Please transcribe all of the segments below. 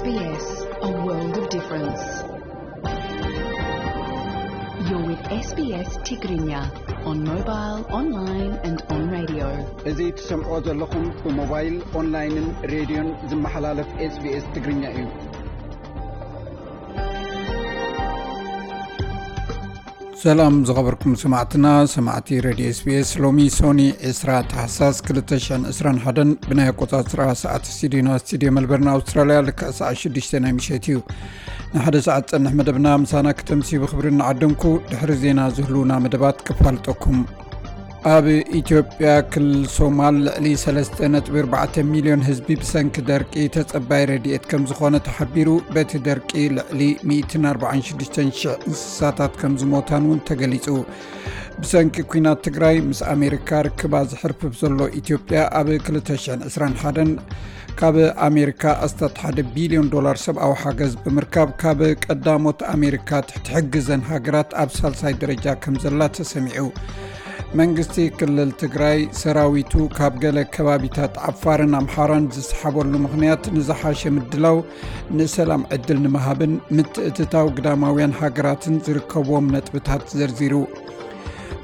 S B S, a world of difference. You're with S B S Tigrinya on mobile, online and on radio. እዚ ትሰምዖ ዘለኹም ብሞባይል፣ ኦንላይንን ሬድዮን ዝመሓላለፍ S B S ትግርኛ እዩ። ሰላም ዝኸበርኩም ሰማዕትና፣ ሰማዕቲ ሬድዮ S B S። ሎሚ ሶኒ ዕስራ ታሕሳስ ክልተ ሽሕን ዕስራን ሓደን ብናይ ኣቆጻጽራ ሰዓት ስቱዲዮና ስቱዲዮ መልበርን ኣውስትራልያ ልክዕ ሰዓት ሽዱሽተ ናይ ምሸት እዩ። ንሓደ ሰዓት ጸንሕ መደብና ምሳና ክተምሲ ብኽብሪ እናዓደምኩ ድሕሪ ዜና ዝህልውና መደባት ክፋልጠኩም። ኣብ ኢትዮጵያ ክልል ሶማል ልዕሊ ሰለስተ ነጥቢ ኣርባዕተ ሚልዮን ህዝቢ ብሰንኪ ደርቂ ተጸባይ ረድኤት ከም ዝኾነ ተሓቢሩ። በቲ ደርቂ ልዕሊ ሚእትን ኣርባዓን ሽዱሽተን ሽሕ እንስሳታት ከም ዝሞታን እውን ተገሊጹ። ብሰንኪ ኲናት ትግራይ ምስ ኣሜሪካ ርክባ ዝሕርፍፍ ዘሎ ኢትዮጵያ ኣብ ክልተ ሽሕን ዕስራን ሓደን ካብ ኣሜሪካ ኣስታት ሓደ ቢልዮን ዶላር ሰብኣዊ ሓገዝ ብምርካብ ካብ ቀዳሞት ኣሜሪካ ትሕቲ ሕግዘን ሃገራት ኣብ ሳልሳይ ደረጃ ከም ዘላ ተሰሚዑ። መንግስቲ ክልል ትግራይ ሰራዊቱ ካብ ገለ ከባቢታት ዓፋርን ኣምሓራን ዝሰሓበሉ ምኽንያት ንዝሓሸ ምድላው ንሰላም ዕድል ንምሃብን ምትእትታው ግዳማውያን ሃገራትን ዝርከብዎም ነጥብታት ዘርዚሩ።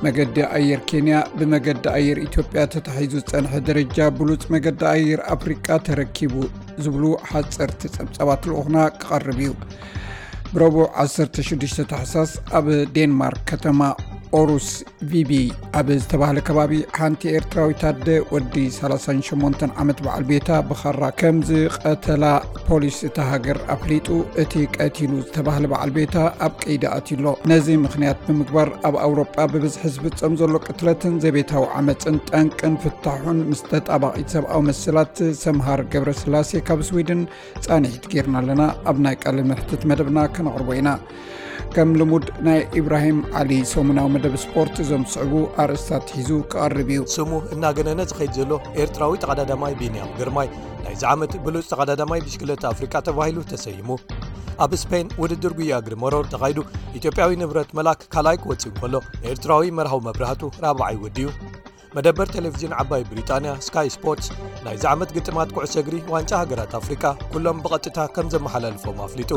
መገዲ ኣየር ኬንያ ብመገዲ ኣየር ኢትዮጵያ ተታሒዙ ዝጸንሐ ደረጃ ብሉጽ መገዲ ኣየር ኣፍሪቃ ተረኪቡ ዝብሉ ሓጸርቲ ጸብጻባት ልኡኽና ክቐርብ እዩ። ብረቡዕ ዓሰርተ ሽዱሽተ ታሕሳስ ኣብ ዴንማርክ ከተማ ኦሩስ ቪቢ ኣብ ዝተባህለ ከባቢ ሓንቲ ኤርትራዊት ኣደ ወዲ ሰላሳን ሸሞንተን ዓመት በዓል ቤታ ብኻራ ከም ዝቐተላ ፖሊስ እታ ሃገር ኣፍሊጡ። እቲ ቀቲሉ ዝተባህለ በዓል ቤታ ኣብ ቀይዲ ኣትዩ ኣሎ። ነዚ ምኽንያት ብምግባር ኣብ ኣውሮጳ ብብዝሒ ዝፍጸም ዘሎ ቅትለትን ዘቤታዊ ዓመጽን ጠንቅን ፍታሑን ምስ ተጣባቒት ሰብኣዊ መሰላት ሰምሃር ገብረስላሴ ካብ ስዊድን ጻንሒት ጌርና ኣለና። ኣብ ናይ ቃለ መሕትት መደብና ከነቕርቦ ኢና። ከም ልሙድ ናይ ኢብራሂም ዓሊ ሰሙናዊ መደብ ስፖርት እዞም ዝስዕቡ ኣርእስታት ሒዙ ክቐርብ እዩ። ስሙ እናገነነ ዝኸይድ ዘሎ ኤርትራዊ ተቐዳዳማይ ቢንያም ግርማይ ናይዚ ዓመት ብሉጽ ተቐዳዳማይ ብሽክለታ ኣፍሪቃ ተባሂሉ ተሰይሙ። ኣብ ስፔን ውድድር ጉያ እግሪ መሮር ተኻይዱ ኢትዮጵያዊ ንብረት መላክ ካልኣይ ክወጽእ እንከሎ፣ ኤርትራዊ መርሃዊ መብራህቱ ራብዓይ ወዲኡ። መደበር ቴሌቪዥን ዓባይ ብሪጣንያ ስካይ ስፖርትስ ናይዚ ዓመት ግጥማት ኩዕሶ እግሪ ዋንጫ ሃገራት ኣፍሪቃ ኩሎም ብቐጥታ ከም ዘመሓላልፎም ኣፍሊጡ።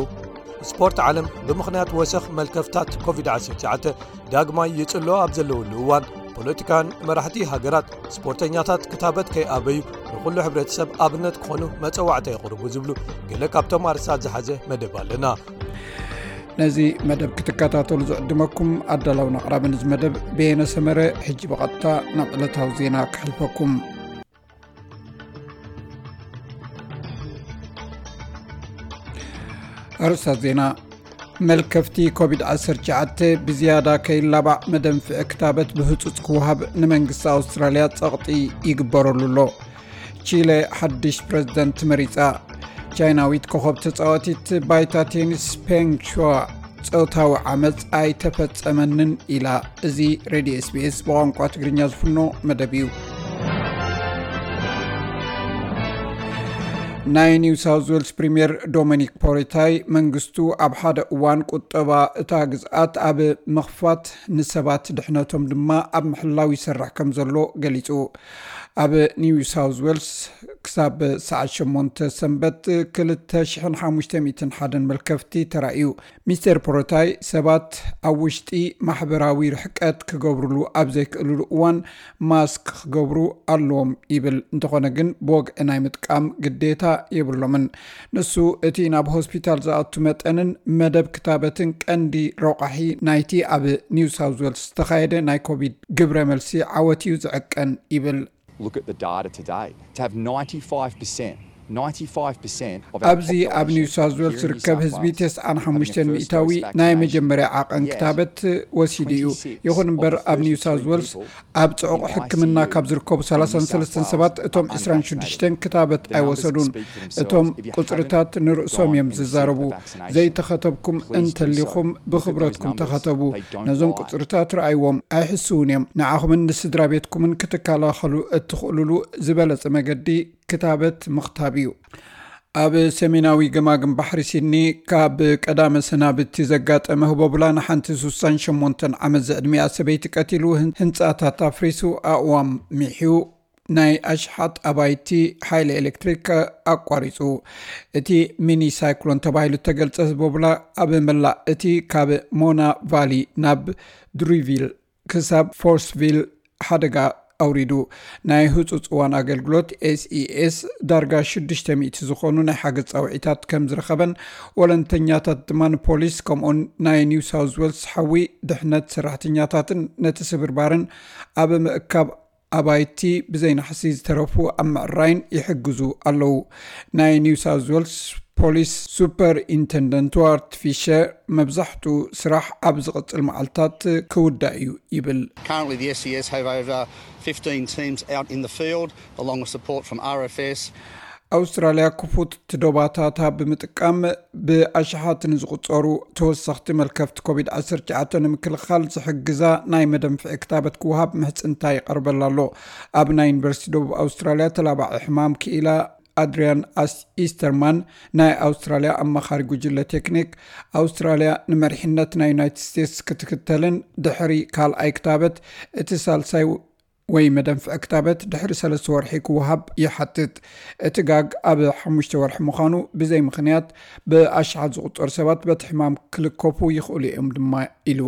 ስፖርት ዓለም ብምኽንያት ወሰኽ መልከፍታት ኮቪድ ዓሰርተ ትሽዓተ ዳግማይ ይጽሎ ኣብ ዘለውሉ እዋን፣ ፖለቲካን መራሕቲ ሃገራት ስፖርተኛታት ክታበት ከይኣበዩ ንኹሉ ሕብረተሰብ ኣብነት ክኾኑ መጸዋዕታ የቕርቡ ዝብሉ ገለ ካብቶም ኣርእስታት ዝሓዘ መደብ ኣለና። ነዚ መደብ ክትከታተሉ ዝዕድመኩም ኣዳላውን ኣቕራብን እዚ መደብ በየነ ሰመረ። ሕጂ ብቐጥታ ናብ ዕለታዊ ዜና ከሕልፈኩም። ኣርእስታት ዜና። መልከፍቲ ኮቪድ ዓሰርተ ትሽዓተ ብዝያዳ ከይላባዕ መደንፍዒ ክታበት ብህጹጽ ክወሃብ ንመንግስቲ ኣውስትራልያ ጸቕጢ ይግበረሉ ኣሎ። ቺለ ሓድሽ ፕረዚደንት መሪጻ። ቻይናዊት ኮኸብ ተጻዋቲት ባይታ ቴኒስ ፔንግ ሹዋ ጾታዊ ዓመጽ ኣይተፈጸመንን ኢላ። እዚ ሬድዮ S B S ብቋንቋ ትግርኛ ዝፍኖ መደብ እዩ። ናይ ኒው ሳውዝ ዌልስ ፕሪምየር ዶሚኒክ ፖሪታይ መንግስቱ ኣብ ሓደ እዋን ቁጠባ እታ ግዝኣት ኣብ ምኽፋት ንሰባት ድሕነቶም ድማ ኣብ ምሕላው ይሰርሕ ከም ዘሎ ገሊጹ። ኣብ ኒው ሳውዝ ዌልስ ክሳብ ሰዓት ሸሞንተ ሰንበት ክልተ ሽሕን ሓሙሽተ ሚእትን ሓደን መልከፍቲ ተራእዩ። ሚስተር ፖሮታይ ሰባት ኣብ ውሽጢ ማሕበራዊ ርሕቀት ክገብሩሉ ኣብ ዘይክእሉሉ እዋን ማስክ ክገብሩ ኣለዎም ይብል። እንተኾነ ግን ብወግዒ ናይ ምጥቃም ግዴታ የብሎምን። ንሱ እቲ ናብ ሆስፒታል ዝኣቱ መጠንን መደብ ክታበትን ቀንዲ ረቋሒ ናይቲ ኣብ ኒው ሳውዝ ዌልስ ዝተኻየደ ናይ ኮቪድ ግብረ መልሲ ዓወት እዩ ዝዕቀን ይብል። Look at the data today. To have ninety-five percent, ninety-five percent of our ኣብዚ ኣብ population ኒው ሳውዝ ዌልስ here in New ዝርከብ South ህዝቢ Wales ተስዓን ሓሙሽተን ሚእታዊ ናይ መጀመርያ ዓቐን ክታበት ወሲዱ እዩ። ይኹን እምበር ኣብ ኒው ሳውዝ ዌልስ ኣብ ጽዑቕ ሕክምና ካብ ዝርከቡ ሰላሳን ሰለስተን ሰባት እቶም ዕስራን ሽዱሽተን ክታበት ኣይወሰዱን። እቶም ቁጽርታት ንርእሶም እዮም ዝዛረቡ። ዘይተኸተብኩም እንተሊኹም ብኽብረትኩም ተኸተቡ። ነዞም ቁጽርታት ረኣይዎም፣ ኣይሕስውን እዮም። ንዓኹምን ንስድራ ቤትኩምን ክትከላኸሉ እትኽእሉሉ ዝበለጸ መገዲ ክታበት ምኽታብ እዩ። ኣብ ሰሜናዊ ገማግም ባሕሪ ሲድኒ ካብ ቀዳመ ሰናብቲ ዘጋጠመ ህቦብላ ንሓንቲ ስሳን ሸሞንተን ዓመት ዝዕድሚኣ ሰበይቲ ቀቲሉ፣ ህን-፣ ህንጻታት ኣፍሪሱ፣ ኣእዋም ሚሕዩ፣ ናይ ኣሽሓት ኣባይቲ ሓይሊ ኤሌክትሪክ ኣቋሪጹ። እቲ ሚኒ ሳይክሎን ተባሂሉ እተገልጸ ቦብላ ኣብ መላእ እቲ ካብ ሞና ቫሊ ናብ ድሪቪል ክሳብ ፎርስቪል ሓደጋ ኣውሪዱ። ናይ ህጹጽ እዋን ኣገልግሎት ኤስኢኤስ ዳርጋ ሽዱሽተ ሚእቲ ዝኾኑ ናይ ሓገዝ ጻውዒታት ከም ዝረኸበን፣ ወለንተኛታት ድማ ንፖሊስ ከምኡን ናይ ኒው ሳውዝ ዌልስ ሓዊ ድሕነት ሰራሕተኛታትን ነቲ ስብርባርን ኣብ ምእካብ ኣባይቲ ብዘይናሕሲ ዝተረፉ ኣብ ምዕራይን ይሕግዙ ኣለዉ። ናይ ኒው ሳውዝ ዌልስ ፖሊስ ሱፐር ኢንተንደንት ዋርት ፊሸር፣ መብዛሕትኡ ስራሕ ኣብ ዝቕጽል መዓልታት ክውዳእ እዩ ይብል። Currently, the S E S have over fifteen teams out in the field, along with support from R F S. ኣውስትራልያ ክፉት ዶባታታ ብምጥቃም ብኣሽሓት ንዝቑጸሩ ተወሰኽቲ መልከፍቲ ኮቪድ ዓሰርተ ትሽዓተ ንምክልኻል ዝሕግዛ ናይ መደንፍዒ ክታበት ክወሃብ ምሕጽንታ ይቐርበላ ኣሎ። ኣብ ናይ ዩኒቨርሲቲ ደቡብ ኣውስትራልያ ተላባዒ ሕማም ክኢላ ኣድሪያን ኣስ ኢስተርማን፣ ናይ ኣውስትራልያ ኣማኻሪ ጉጅለ ቴክኒክ፣ ኣውስትራልያ ንመሪሕነት ናይ ዩናይትድ ስቴትስ ክትክተልን ድሕሪ ካልኣይ ክታበት እቲ ሳልሳይ ወይ መደንፍዒ ክታበት ድሕሪ ሰለስተ ወርሒ ክወሃብ ይሓትት። እቲ ጋግ ኣብ ሓሙሽተ ወርሒ ምዃኑ ብዘይ ምኽንያት ብኣሽሓት ዝቑጸሩ ሰባት በቲ ሕማም ክልከፉ ይኽእሉ እዮም ድማ ኢሉ።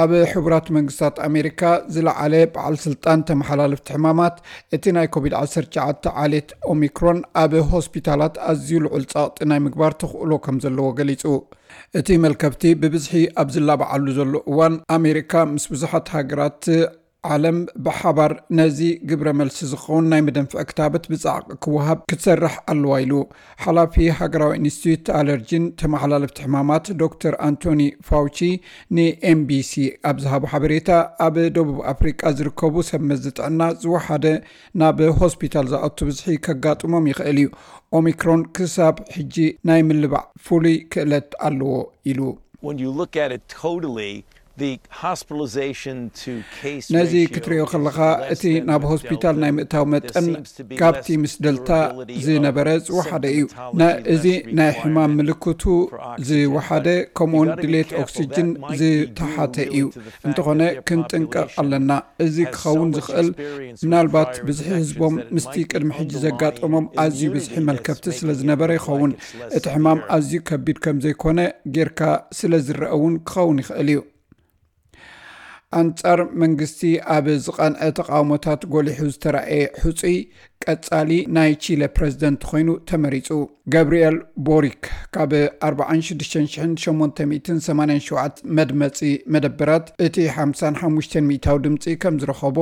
ኣብ ሕቡራት መንግስታት ኣሜሪካ ዝለዓለ በዓል ስልጣን ተመሓላለፍቲ ሕማማት፣ እቲ ናይ ኮቪድ ዓሰርተ ትሽዓተ ዓሌት ኦሚክሮን ኣብ ሆስፒታላት ኣዝዩ ልዑል ጸቕጢ ናይ ምግባር ተኽእሎ ከም ዘለዎ ገሊጹ። እቲ መልከፍቲ ብብዝሒ ኣብ ዝላባዓሉ ዘሎ እዋን፣ ኣሜሪካ ምስ ብዙሓት ሃገራት ዓለም ብሓባር ነዚ ግብረ መልሲ ዝኸውን ናይ መደንፍዒ ክታበት ብጻዕቂ ክወሃብ ክትሰርሕ ኣለዋ ኢሉ። ሓላፊ ሃገራዊ ኢንስቲትዩት ኣለርጂን ተመሓላለፍቲ ሕማማት ዶክተር ኣንቶኒ ፋውቺ ንኤምቢሲ ኣብ ዝሃቦ ሓበሬታ፣ ኣብ ደቡብ ኣፍሪቃ ዝርከቡ ሰብ መዚ ጥዕና ዝወሓደ ናብ ሆስፒታል ዝኣቱ ብዝሒ ከጋጥሞም ይኽእል እዩ። ኦሚክሮን ክሳብ ሕጂ ናይ ምልባዕ ፍሉይ ክእለት ኣለዎ ኢሉ። When you look at it totally, the hospitalization to case ነዚ ratio ክትሪኦ is ከለኻ፣ less እቲ than ናብ with ሆስፒታል Delta. ናይ ምእታው There መጠን seems to be ካብቲ less ምስ ደልታ durability of ዝነበረ ዝወሓደ እዩ። symptomatology ና-፣ እዚ less ናይ ሕማም requirement ምልክቱ for oxygen, ዝወሓደ but you ከምኡውን gotta be ድሌት careful. ኦክሲጅን That might be ዝተሓተ due እዩ። to the fact እንተኾነ that their ክንጥንቀቕ population ኣለና። እዚ has so ክኸውን much ዝኽእል experience with ምናልባት prior ብዝሒ infections ህዝቦም that it ምስቲ might be ቅድሚ ሕጂ underlying ዘጋጠሞም ኣዝዩ immunity ብዝሒ that's መልከፍቲ making ስለ it ዝነበረ look ይኸውን። like it's less እቲ ሕማም severe. ኣዝዩ ከቢድ ከም ዘይኮነ ጌርካ ስለ ዝረአ እውን ክኸውን ይኽእል እዩ። ኣንጻር መንግስቲ ኣብ ዝቐንዐ ተቓውሞታት ጎሊሑ ዝተራእየ ሕጹይ ቀጻሊ ናይ ቺለ ፕረዚደንት ኮይኑ ተመሪጹ። ገብርኤል ቦሪክ ካብ ኣርባዓን ሽዱሽተ ሽሕን ሸሞንተ ሚእትን ሰማንያን ሸውዓተ መድመጺ መደበራት እቲ ሓምሳን ሓሙሽተን ሚእታዊ ድምጺ ከም ዝረኸቦ፣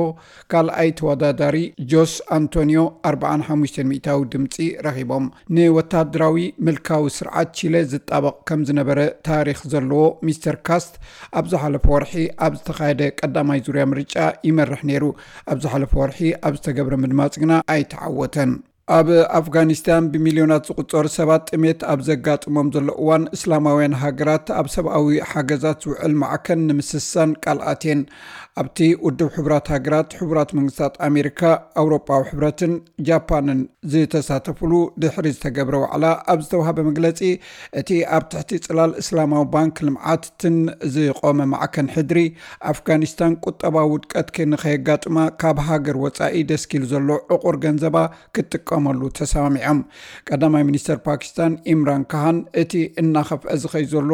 ካልኣይ ተወዳዳሪ ጆስ ኣንቶኒዮ ኣርባዓን ሓሙሽተን ሚእታዊ ድምጺ ረኺቦም። ንወታደራዊ ምልካዊ ስርዓት ቺለ ዝጣበቕ ከም ዝነበረ ታሪኽ ዘለዎ ሚስተር ካስት፣ ኣብ ዝሓለፈ ወርሒ ኣብ ዝተኻየደ ቀዳማይ ዙርያ ምርጫ ይመርሕ ነይሩ። ኣብ ዝሓለፈ ወርሒ ኣብ ዝተገብረ ምድማጽ ግና ኣይተዓወተን። ኣብ ኣፍጋኒስታን ብሚልዮናት ዝቑጸሩ ሰባት ጥሜት ኣብ ዘጋጥሞም ዘሎ እዋን፣ እስላማውያን ሃገራት ኣብ ሰብኣዊ ሓገዛት ዝውዕል ማዕከን ንምስሳን ቃል ኣትየን። ኣብቲ ውድብ ሕቡራት ሃገራት፣ ሕቡራት መንግስታት ኣሜሪካ፣ ኣውሮጳዊ ሕብረትን ጃፓንን ዝተሳተፉሉ ድሕሪ ዝተገብረ ዋዕላ ኣብ ዝተዋህበ መግለጺ፣ እቲ ኣብ ትሕቲ ጽላል እስላማዊ ባንክ ልምዓትን ዝቖመ ማዕከን ሕድሪ፣ ኣፍጋኒስታን ቁጠባዊ ውድቀት ከ-፣ ንኸየጋጥማ ካብ ሃገር ወጻኢ ደስኪሉ ዘሎ ዕቑር ገንዘባ ክትጥቀመሉ ተሰማሚዖም። ቀዳማይ ሚኒስተር ፓኪስታን ኢምራን ካሃን፣ እቲ እናኸፍአ ዝኸይ ዘሎ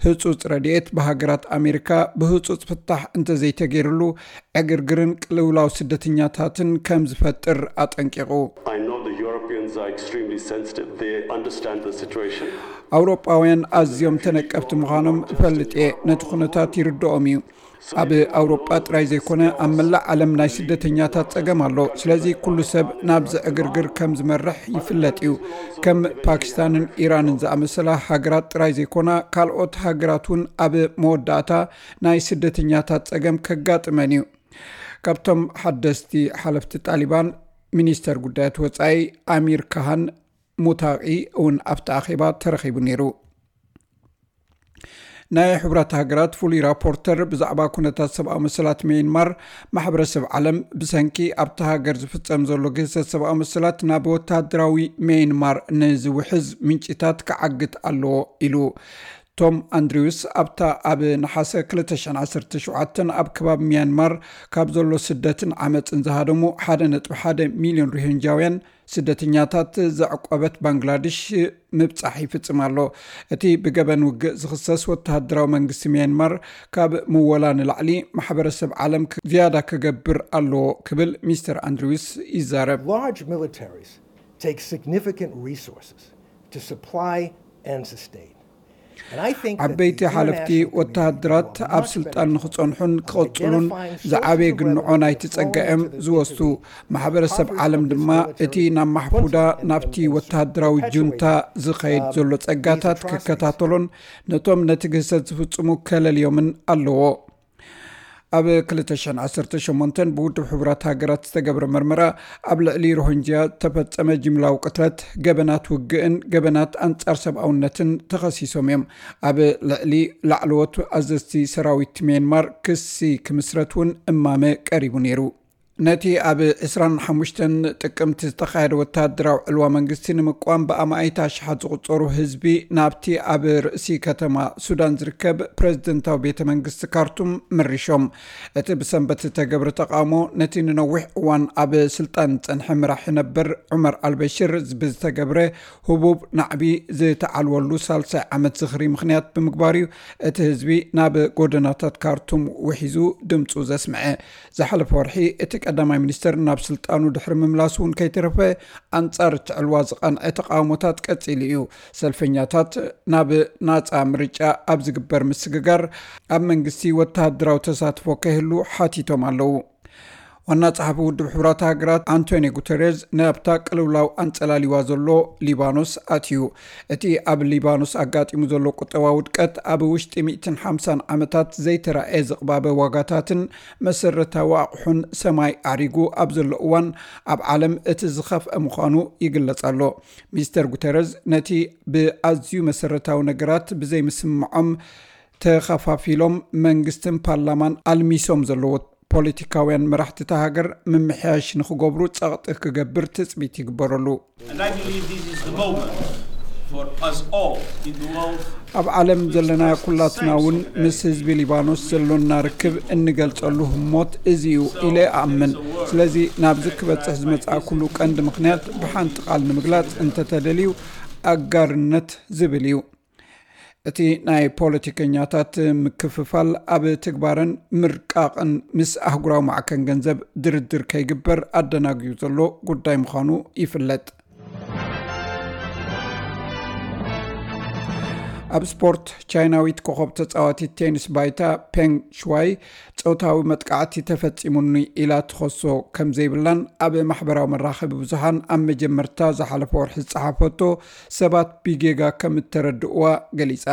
ህጹጽ ረድኤት ብሃገራት ኣሜሪካ ብህጹጽ ፍታሕ እንተዘይተገይርሉ፣ ዕግርግርን ቅልውላው ስደተኛታትን ከም ዝፈጥር ኣጠንቂቑ። I know the Europeans are extremely sensitive. They understand the situation. ኣውሮጳውያን ኣዝዮም ተነቀፍቲ ምዃኖም እፈልጥ እየ። ነቲ ኩነታት ይርድኦም እዩ። ኣብ ኣውሮጳ ጥራይ ዘይኮነ፣ ኣብ መላእ ዓለም ናይ ስደተኛታት ጸገም ኣሎ። ስለዚ ኩሉ ሰብ ናብዚ ዕግርግር ከም ዝመርሕ ይፍለጥ እዩ። ከም ፓኪስታንን ኢራንን ዝኣመሰላ ሃገራት ጥራይ ዘይኮና፣ ካልኦት ሃገራት እውን ኣብ መወዳእታ ናይ ስደተኛታት ጸገም ከጋጥመን እዩ። ካብቶም ሓደስቲ ሓለፍቲ ጣሊባን፣ ሚኒስተር ጉዳያት ወጻኢ ኣሚር ካሃን ሙታቂ እውን ኣብቲ ኣኼባ ተረኺቡ ነይሩ። ናይ ሕቡራት ሃገራት ፍሉይ ራፖርተር ብዛዕባ ኩነታት ሰብኣዊ መሰላት ሜይንማር፣ ማሕበረሰብ ዓለም ብሰንኪ ኣብቲ ሃገር ዝፍጸም ዘሎ ግህሰት ሰብኣዊ መሰላት ናብ ወታደራዊ ሜይንማር ንዝውሕዝ ምንጭታት ክዓግት ኣለዎ ኢሉ። ቶም ኣንድሪውስ ኣብታ ኣብ ነሓሰ ክልተ ሽሕን ዓሰርተ ሸውዓተን ኣብ ከባቢ ሚያንማር ካብ ዘሎ ስደትን ዓመፅን ዝሃደሙ ሓደ ነጥቢ ሓደ ሚልዮን ሮሂንጃውያን ስደተኛታት ዘዕቆበት ባንግላድሽ ምብጻሕ ይፍጽም ኣሎ። እቲ ብገበን ውግእ ዝኽሰስ ወተሃደራዊ መንግስቲ ሚያንማር ካብ ምወላ ንላዕሊ ማሕበረሰብ ዓለም ክ- ዝያዳ ክገብር ኣለዎ ክብል ሚስተር ኣንድሪውስ ይዛረብ። Large militaries take significant resources to supply and sustain. And I think that ዓበይቲ the ሓለፍቲ international community ወተሃደራት will have a ኣብ much ስልጣን better ንኽጸንሑን chance of ክቕጽሉን identifying ዝዓበየ soldiers of ግንዖ revolution ናይቲ falling ጸጋ እዮም into the ዝወስዱ። disfigurement ማሕበረሰብ coffers ዓለም of this ድማ እቲ military ናብ ማሕፉዳ junta and- ናብቲ and- and ወተሃደራዊ perpetuate, ጁንታ ዝኸይድ um, ዘሎ these ጸጋታት atrocities. ክከታተሎን ነቶም ነቲ ግህሰት ዝፍጽሙ ከለልዮምን ኣለዎ። ኣብ ክልተ ሽሕን ዓሰርተ ሸሞንተን ብውድብ ሕቡራት ሃገራት ዝተገብረ መርመራ ኣብ ልዕሊ ሮሂንጅያ ዝተፈጸመ ጅምላዊ ቅትለት፣ ገበናት ውግእን ገበናት ኣንጻር ሰብኣውነትን ተኸሲሶም እዮም። ኣብ ልዕሊ ላዕለዎት ኣዘዝቲ ሰራዊት ሚያንማር ክሲ ክምስረት እውን እማመ ቀሪቡ ነይሩ። ነቲ ኣብ ዕስራን ሓሙሽተን ጥቅምቲ ዝተኻየደ ወተሃደራዊ ዕልዋ መንግስቲ ንምቋም ብኣማኢት ኣሽሓት ዝቑጸሩ ህዝቢ ናብቲ ኣብ ርእሲ ከተማ ሱዳን ዝርከብ ፕሬዝደንታዊ ቤተ መንግስቲ ካርቱም መሪሾም። እቲ ብሰንበት ዝተገብረ ተቓውሞ ነቲ ንነዊሕ እዋን ኣብ ስልጣን ዝጸንሐ መራሒ ነበር ዑመር ኣልበሽር ብዝተገብረ ህቡብ ናዕቢ ዝተዓልወሉ ሳልሳይ ዓመት ዝኽሪ ምኽንያት ብምግባር እዩ እቲ ህዝቢ ናብ ጎደናታት ካርቱም ውሒዙ ድምፁ ዘስምዐ። ዝሓለፈ ወርሒ እቲ ቀዳማይ ሚኒስተር ናብ ስልጣኑ ድሕሪ ምምላሱ እውን ከይተረፈ ኣንጻር እቲ ዕልዋ ዝቐንዐ ተቓውሞታት ቀጺሉ እዩ። ሰልፈኛታት ናብ ናጻ ምርጫ ኣብ ዝግበር ምስግጋር ኣብ መንግስቲ ወተሃደራዊ ተሳትፎ ከይህሉ ሓቲቶም ኣለዉ። ዋና ጸሓፊ ውድብ ሕቡራት ሃገራት ኣንቶኒ ጉተሬዝ ናብታ ቅልውላው ኣንጸላሊዋ ዘሎ ሊባኖስ ኣትዩ። እቲ ኣብ ሊባኖስ ኣጋጢሙ ዘሎ ቁጠባዊ ውድቀት ኣብ ውሽጢ ሚእትን ሓምሳን ዓመታት ዘይተራእየ ዝቕባበ ዋጋታትን መሰረታዊ ኣቑሑን ሰማይ ኣዕሪጉ ኣብ ዘሎ እዋን ኣብ ዓለም እቲ ዝኸፍአ ምዃኑ ይግለጽ ኣሎ። ሚስተር ጉተረዝ ነቲ ብኣዝዩ መሰረታዊ ነገራት ብዘይምስምዖም ተኸፋፊሎም መንግስትን ፓርላማን ኣልሚሶም ዘለዎ ፖለቲካውያን መራሕቲ እታ ሃገር ምምሕያሽ ንኽገብሩ ጸቕጢ ክገብር ትጽቢት ይግበረሉ። And I believe this is the moment for us all in the world ኣብ ዓለም ዘለና ኩላትና እውን ምስ ህዝቢ ሊባኖስ ዘሎና ርክብ እንገልጸሉ ህሞት እዚ እዩ ኢለ እኣምን። ስለዚ ናብዚ ክበጽሕ ዝመጽኣኩሉ ቀንዲ ምኽንያት ብሓንቲ ቃል ንምግላጽ እንተተደልዩ ኣጋርነት ዝብል እዩ። እቲ ናይ ፖለቲከኛታት ምክፍፋል ኣብ ትግባረን ምርቃቕን ምስ ኣህጉራዊ ማዕከን ገንዘብ ድርድር ከይግበር ኣደናግዩ ዘሎ ጉዳይ ምዃኑ ይፍለጥ። ኣብ ስፖርት፣ ቻይናዊት ኮኸብ ተጻዋቲት ቴኒስ ባይታ ፔንግ ሽዋይ ጾታዊ መጥቃዕቲ ተፈጺሙኒ ኢላ ትኸሶ ከም ዘይብላን ኣብ ማሕበራዊ መራኸቢ ብዙሃን ኣብ መጀመርታ ዝሓለፈ ወርሒ ዝጸሓፈቶ ሰባት ብጌጋ ከም እተረድእዋ ገሊጻ።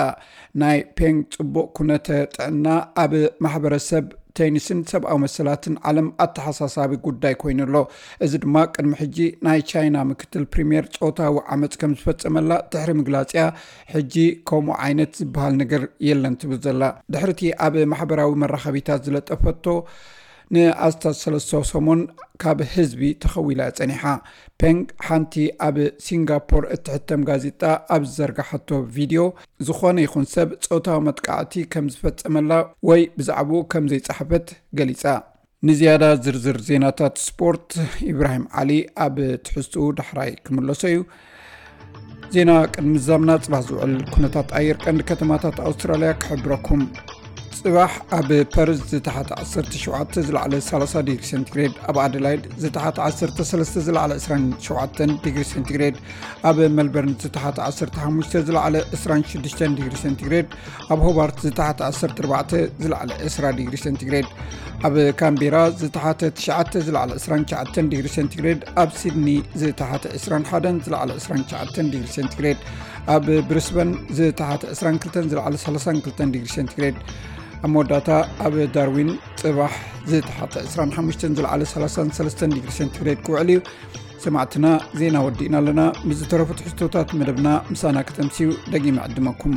ናይ ፔንግ ጽቡቕ ኩነተ ጥዕና ኣብ ማሕበረሰብ ቴኒስን ሰብኣዊ መሰላትን ዓለም ኣተሓሳሳቢ ጉዳይ ኮይኑ ኣሎ። እዚ ድማ ቅድሚ ሕጂ ናይ ቻይና ምክትል ፕሪምየር ጾታዊ ዓመፅ ከም ዝፈጸመላ ድሕሪ ምግላጽያ ሕጂ ከምኡ ዓይነት ዝበሃል ነገር የለን ትብል ዘላ። ድሕሪቲ ኣብ ማሕበራዊ መራኸቢታት ዝለጠፈቶ ንኣስታት ሰለስተ ሰሙን ካብ ህዝቢ ተኸዊላ ጸኒሓ። ፔንግ ሓንቲ ኣብ ሲንጋፖር እትሕተም ጋዜጣ ኣብ ዝዘርጋሓቶ ቪድዮ ዝኾነ ይኹን ሰብ ጾታዊ መጥቃዕቲ ከም ዝፈጸመላ ወይ ብዛዕባኡ ከም ዘይጸሓፈት ገሊጻ። ንዝያዳ ዝርዝር ዜናታት ስፖርት ኢብራሂም ዓሊ ኣብ ትሕዝትኡ ዳሕራይ ክምለሶ እዩ። ዜና ቅድሚ ምዛምና ጽባሕ ዝውዕል ኩነታት ኣየር ቀንዲ ከተማታት ኣውስትራልያ ክሕብረኩም። ጽባሕ ኣብ ፐርዝ ዝተሓተ ዓሰርተ ሸውዓተ ዝለዓለ ሰላሳ ዲግሪ ሴንቲግሬድ፣ ኣብ ኣደላይድ ዝተሓተ ዓሰርተ ሰለስተ ዝለዓለ ዕስራን ሸውዓተን ዲግሪ ሴንቲግሬድ፣ ኣብ መልበርን ዝተሓተ ዓሰርተ ሓሙሽተ ዝለዓለ ዕስራን ሽዱሽተን ዲግሪ ሴንቲግሬድ፣ ኣብ ሆባርት ዝተሓተ ዓሰርተ ኣርባዕተ ዝለዓለ ዕስራ ዲግሪ ሴንቲግሬድ፣ ኣብ ካምቤራ ዝተሓተ ትሽዓተ ዝለዓለ ዕስራን ትሽዓተን ዲግሪ ሴንቲግሬድ፣ ኣብ ሲድኒ ዝተሓተ ዕስራን ሓደን ዝለዓለ ዕስራን ትሽዓተን ዲግሪ ሴንቲግሬድ፣ ኣብ ብሪስበን ዝተሓተ ዕስራን ክልተን ዝለዓለ ሰላሳን ክልተን ዲግሪ ሴንቲግሬድ፣ ኣብ መወዳእታ ኣብ ዳርዊን ጽባሕ ዝተሓተ ዕስራን ሓሙሽተን ዝለዓለ ሰላሳን ሰለስተን ዲግሪ ሴንቲግሬድ ክውዕል እዩ። ሰማዕትና፣ ዜና ወዲእና ኣለና። ምስ ዝተረፉ ትሕዝቶታት መደብና ምሳና ከተምስዩ ደጊመ ዕድመኩም።